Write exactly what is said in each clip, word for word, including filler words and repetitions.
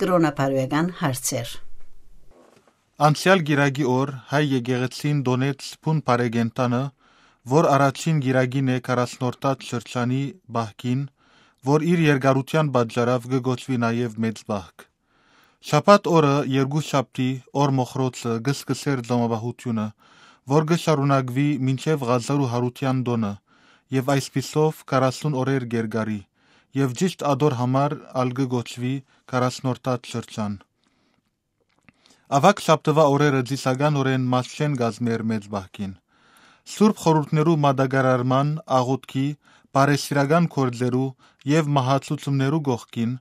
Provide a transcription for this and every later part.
կրոնաբարոյական հարցեր։ Անցեալ կիրակի օր հայ եկեղեցին տօնեց բուն բարեկենդանը, որ առաջին կիրակին է քառասնորդաց շրջանի պահքին, որ իր երկարութեան պատճառաւ կը կոչուի նաեւ մեծ պահք։ Շաբաթ օրը, երկուշաբթի օր մոխրոցը, կը սկսէր Ղոմապահութիւնը, որ կը շարունակուի մինչեւ Ղազարու Յարութեան տօնը, եւ այսպիսով քառասուն օրեր կ'երկարի, եւ ճիշդ ատոր համար ալ կը կոչուի քառասնորդաց շրջան։ Աւագ շաբթուայ օրերը ծիսականօրէն մաս չեն կազմեր մեծ պահքին։ Սուրբ խորհուրդներու մատակարարման, աղօթքի, բարեսիրական գործերու եւ մահացուցումներու կողքին,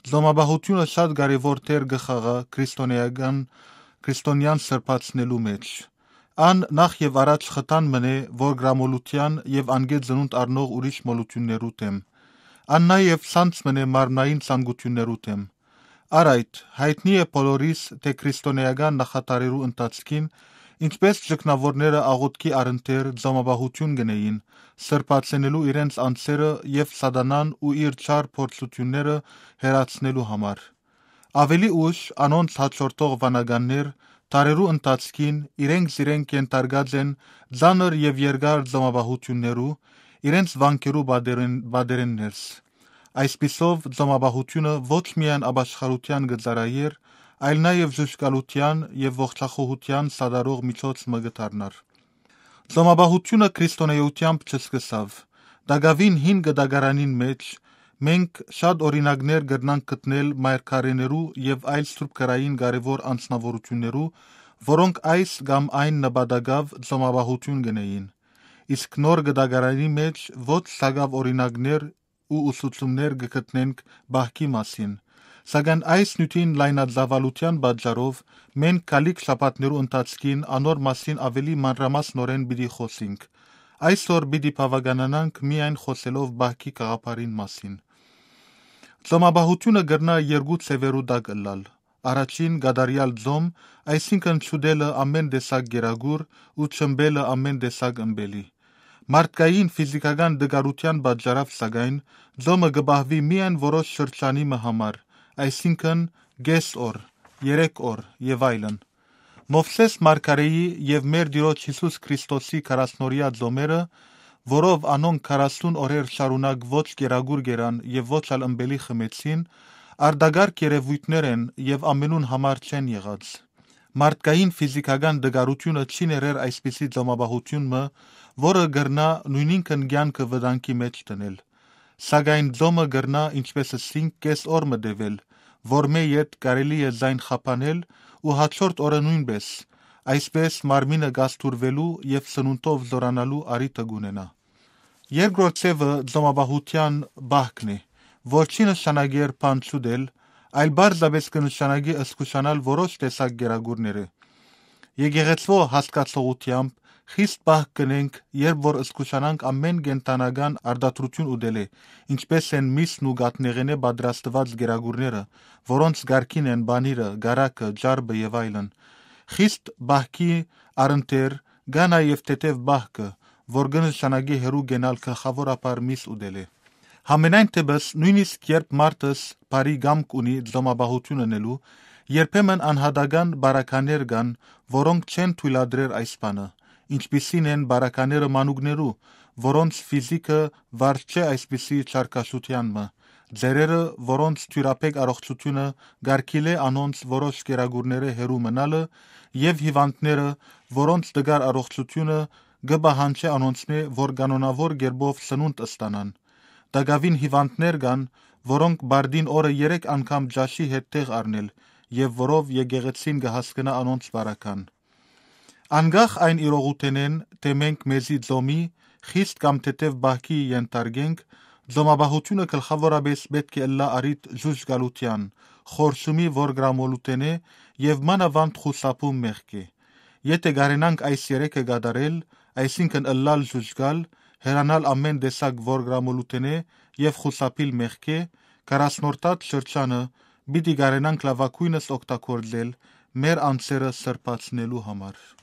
Ղոմապահութիւնը շատ կարեւոր դեր կը խաղայ քրիստոնեական, քրիստոնեան սրբացնելու մէջ։ Ան նախ եւ առաջ խթան մըն է, որ գրամոլութեան եւ անգէ ծնունդ առնող ուրիշ մոլութիւններու դէմ։ Ան նաեւ սանձ մըն է մարմնային ցանկութիւններու դէմ։ Առ այդ, յայտնի է բոլորիս, թէ քրիստոնեական նախատարերու ընթացքին, ինչպէս ճգնաւորները աղօթքի առընթեր Ղոմապահութիւն կ'ընէին, սրբացնելու իրենց անձերը եւ սատանան ու իր չար փորձութիւնները հեռացնելու համար։ Աւելի ուշ անոնց հաջորդող վանականներ, դարերու ընթացքին իրենք զիրենք ենթարկած են ծանր եւ երկար Ղոմապահութիւններու, իրենց վանքերու պատերէն, պատերէն ներս։ Այսպիսով, Ղոմապահութիւնը ոչ միայն ապաշխարութեան կը ծառայէր, այլ նաեւ ժուժկալութեան եւ ողջախոհութեան սատարող միջոց մը կը դառնար։ Ղոմապահութիւնը քրիստոնէութեամբ չսկսաւ։ Տակաւին հին կտակարանին մէջ մենք շատ օրինակներ կրնանք գտնել մայրքարիներու եւ այլ սուրբ գրային կարեւոր անձնաւորութիւններու, որոնք այս կամ այն նպատակաւ Ղոմապահութիւն կ'ընէին։ Իսկ նոր կտակարանի մէջ ոչ սակաւ օրինակներ ու ուսուցումներ կը գտնենք պահքի մասին, սակայն այս նիւթին լայնածաւալութեան պատճառով մենք գալիք շաբաթներու ընթացքին անոր մասին աւելի մանրամասնօրէն պիտի խօսինք։ Այսօր պիտի բաւականանանք միայն խօսելով պահքի գաղափարին մասին։ Ղոմապահութիւնը կրնայ երկու ձեւերու տակ ըլլալ։ Առաջին, կատարեալ ձոմ, այսինքն՝ չուտելը ամէն տեսակ կերակուր ու չըմպելը ամէն տեսակ ըմպելի։ Մարդկային ֆիզիքական տկարութեան պատճառաւ, սակայն, ձոմը կը պահուի միայն որոշ շրջանի մը համար, այսինքն՝ կէս օր, երեք օր եւ այլն։ Մովսէս մարգարէի եւ մեր Տիրոջ Յիսուս Քրիստոսի քառասնօրեայ ձոմերը, որով անոնք քառասուն օրեր շարունակ ոչ կերակուր կերան եւ ոչ ալ ըմպելի խմեցին, արտակարգ երեւոյթներ են եւ ամենուն համար չեն եղած։ Մարդկային ֆիզիքական տկարութիւնը չի ներեր այսպիսի ձոմապահութիւն մը, որը կրնայ նոյնինքն կեանքը վտանգի մէջ դնել։ Սակայն ձոմը կրնայ, ինչպէս ըսինք, կէս օր մը տեւել, որմէ յետ կարելի է զայն խափանել ու հաջորդ օրը նոյնպէս, այսպէս մարմինը կազդուրուելու եւ սնունդով զօրանալու առիթը կունենայ։ Երկրորդ ձեւը ձոմապահութեան պահքն է, որ չի նշանակեր բան չուտել, այլ պարզապէս կը նշանակի զգուշանալ որոշ տեսակ կերակուրներէ։ Եկեղեցւոյ հասկացողութեամբ խիստ պահք կ'ընենք, երբ որ զգուշանանք ամէն կենդանական արտադրութիւն ուտելէ, ինչպէս են միսն ու կաթնեղէնէ պատրաստուած կերակուրները, որոնց կարգին են պանիրը, կարագը, ճարպը եւ այլն։ Խիստ պահքի առընթեր կայ նաեւ թեթեւ պահքը, որ կը նշանակի հեռու կենալ գլխաւորաբար միս ուտելէ։ Համենայն դէպս, նոյնիսկ երբ մարդս բարի կամք ունի ձոմապահութիւն ընելու, երբեմն անհատական պարագաներ կան, որոնք չեն թոյլատրեր այս բանը, ինչպիսին են պարագաները մանուկներու, որոնց ֆիզիքը վարժ չէ այսպիսի չարքաշութեան մը, ծերերը, որոնց թիւրաբեկ առողջութիւնը կարգիլէ անոնց որոշ կերակուրներէ հեռու մնալը, եւ հիւանդները, որոնց տկար առողջութիւնը կը պահանջէ անոնցմէ, որ կանոնաւոր կերպով սնունդ ստանան։ Տակաւին հիւանդներ կան, որոնք պարտին օրը երեք անգամ ճաշի հետ տեղ առնել, եւ որով եկեղեցին կը հասկնայ անոնց պարագան։ Անկախ այն իրողութենէն, թէ մենք մեզի ձոմի, խիստ կամ թեթեւ պահքի ենթարկենք, ձոմապահութիւնը գլխաւորապէս պէտք է ըլլայ առիթ ժուժկալութեան, խորշումի, որգրամոլութենէ եւ մանաւանդ խուսափում մեղքէ։ Եթէ կարենանք այս երեքը կատարել, այսինքն՝ ըլլալ ժուժկալ, հեռանալ ամէն տեսակ որգրամոլութենէ եւ խուսափիլ մեղքէ, քառասնորդաց շրջանը պիտի կարենանք լաւագոյնս օգտագործել մեր անձերը սրբացնելու համար։